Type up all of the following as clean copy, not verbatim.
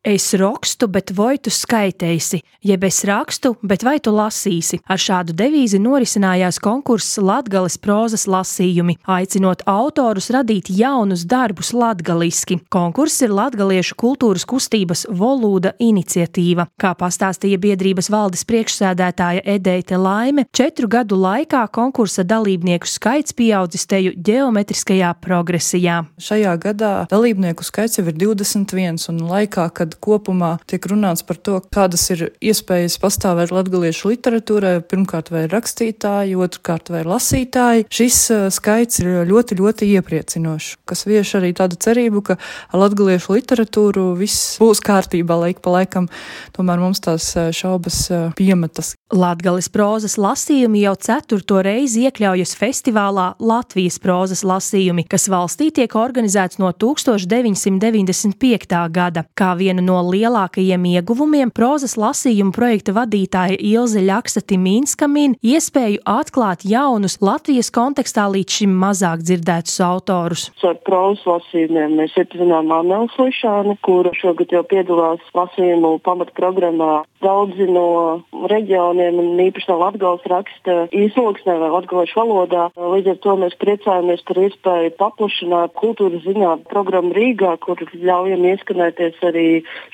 Es rokstu, bet vai tu skaiteisi, jeb es rakstu, bet vai tu lasīsi. Ar šādu devīzi norisinājās konkurss Latgales prózas lasījumi, aicinot autorus radīt jaunus darbus latgaliski. Konkurss ir latgaliešu kultūras kustības Volūda iniciatīva. Kā pastāstīja biedrības valdes priekšsēdētāja Edeite Laime, 4 gadu laikā konkursa dalībnieku skaits pieaudzis teju ģeometriskajā progresijā. Šajā gadā dalībnieku skaits jau ir 21, un laikā, kad kopumā tiek runāts par to, kādas ir iespējas pastāvēt latgaliešu literatūrai, pirmkārt vai rakstītāji, otrkārt vai lasītāji. Šis skaits ir ļoti, ļoti iepriecinošs, kas vieš arī tādu cerību, ka ar latgaliešu literatūru viss būs kārtībā laika pa laikam, tomēr mums tās šaubas piemetas. Latgales prózas lasījumi jau 4. reizi iekļaujas festivālā Latvijas prózas lasījumi, kas valstī tiek organizēts no 1995. gada. Kā vienu no lielākajiem ieguvumiem prózas lasījumu projekta vadītāja Ilze Ļaksa-Timīnska min iespēju atklāt jaunus Latvijas kontekstā līdz šim mazāk dzirdētus autorus. Ar prózas lasījumiem mēs iepazinām Anneli Slišāni, kura šogad jau piedalās lasījumu pamatprogrammā. Daudzi no reģioniem un īpaši no Latgales raksta īsloksnē vai latgaliešu valodā. Līdz ar to mēs priecājamies par iespēju paplašināt kultūras zinātņu programmu Rīgā, kur ļaujam ieskanēties arī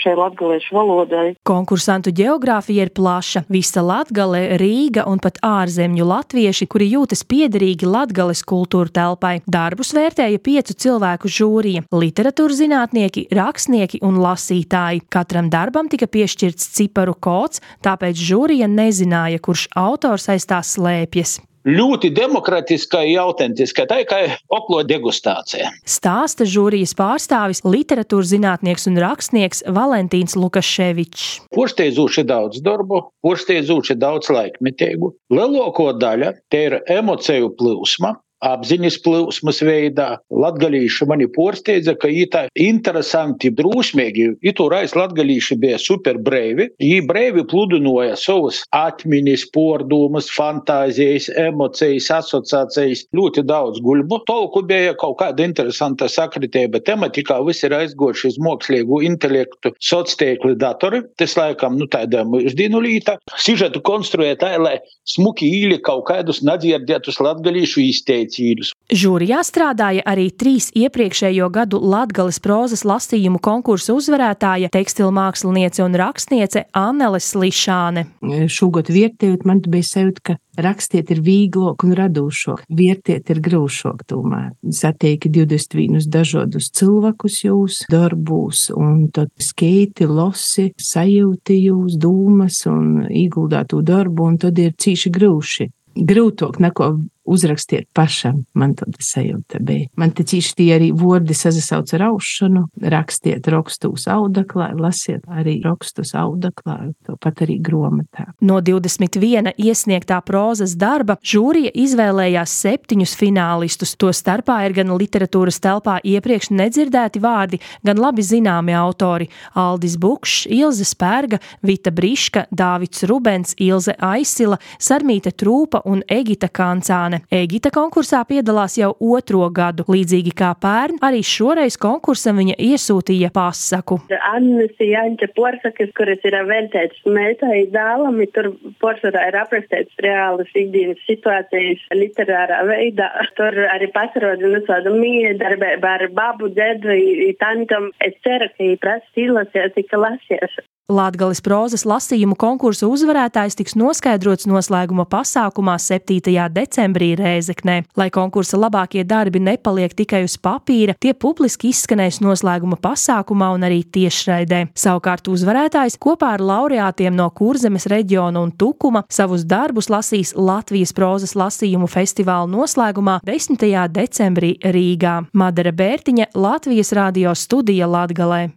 šai latgaliešu valodai. Konkursantu ģeogrāfija ir plaša. Visa Latgale, Rīga un pat ārzemju latvieši, kuri jūtas piederīgi Latgales kultūra telpai. Darbus vērtēja 5 cilvēku žūrija – literatūras zinātnieki, rakstnieki un lasītāji. Katram darbam tika piešķirts ciparu kods, tāpēc žūrija nezināja, kurš autors aiz tā slēpjas. Ļoti demokratiska un autentiska, tā kā oklo degustācija. Stāsta žūrijas pārstāvis, literatūras zinātnieks un rakstnieks Valentīns Lukaševičs. Porsteidzoši daudz darbu, porsteidzoši daudz laikmetīgu. Lielāko daļa te ir emociju plūsma, apziņas plūsmas veidā. Latgalīši mani porsteidza, ka jī tā interesanti, drūsmīgi. Itūrais latgalīši bija super breivi. Jī breivi pludinoja savus atmiņas, pārdomas, fantāzijas, emocijas, asociācijas. Ļoti daudz guļbu. Tolku bija kaut kāda interesanta sakritība tematikā. Visi ir aizgojuši uz mākslīgu intelektu sociātīkli datori. Tas laikam, tāda mūsdienu līta. Sižetu konstruē tā, lai smuki īli kaut kādus nadzirdētus latgalīšu izteici. Žūrijā strādāja arī 3 iepriekšējo gadu Latgales prózas lasījumu konkursa uzvarētāja, tekstilmāksliniece un rakstniece Annele Slišāne. Šogad vērtējot, man bija sajūta, ka rakstiet ir vīglok un radūšok, vērtiet ir grūšok tomēr. Satieki 21 dažādus cilvēkus jūs darbūs, un tad skeiti, losi, sajūti jūs dūmas un ieguldātu darbu, un tad ir cīši grūši. Grūtāk neko uzrakstiet pašam, man tāda sajūta bija. Man te cīši tie arī vordi sazasauc ar aušanu, rakstiet rakstus audaklā, lasiet arī rakstus audaklā, tāpat arī gromatā. No 21 iesniegtā prózas darba žūrija izvēlējās 7 finālistus. To starpā ir gan literatūras telpā iepriekš nedzirdēti vārdi, gan labi zināmi autori – Aldis Bukšs, Ilze Spērga, Vita Briška, Dāvids Rubens, Ilze Aisila, Sarmīte Trūpa un Egita Kancāne. Egita konkursā piedalās jau 2. gadu. Līdzīgi kā pērn, arī šoreiz konkursam viņa iesūtīja pasaku. Annas Jāņķa porsakas, kuras ir veltētas meitai dēlam, tur porcelā ir aprastētas reālas ikdienas situācijas literārā veidā. Tur arī pasaroda tādu miedarbību ar babu, dedu, tantam. Es ceru, ka viņi prasa izlasīt, ka lasies. Latgales prózas lasījumu konkursu uzvarētājs tiks noskaidrots noslēguma pasākumā 7. decembrī Rēzeknē. Lai konkursa labākie darbi nepaliek tikai uz papīra, tie publiski izskanēs noslēguma pasākumā un arī tiešraidē. Savukārt uzvarētājs kopā ar laureātiem no Kurzemes reģiona un Tukuma savus darbus lasīs Latvijas prózas lasījumu festivāla noslēgumā 10. decembrī Rīgā. Madara Bērtiņa, Latvijas radio studija Latgalē.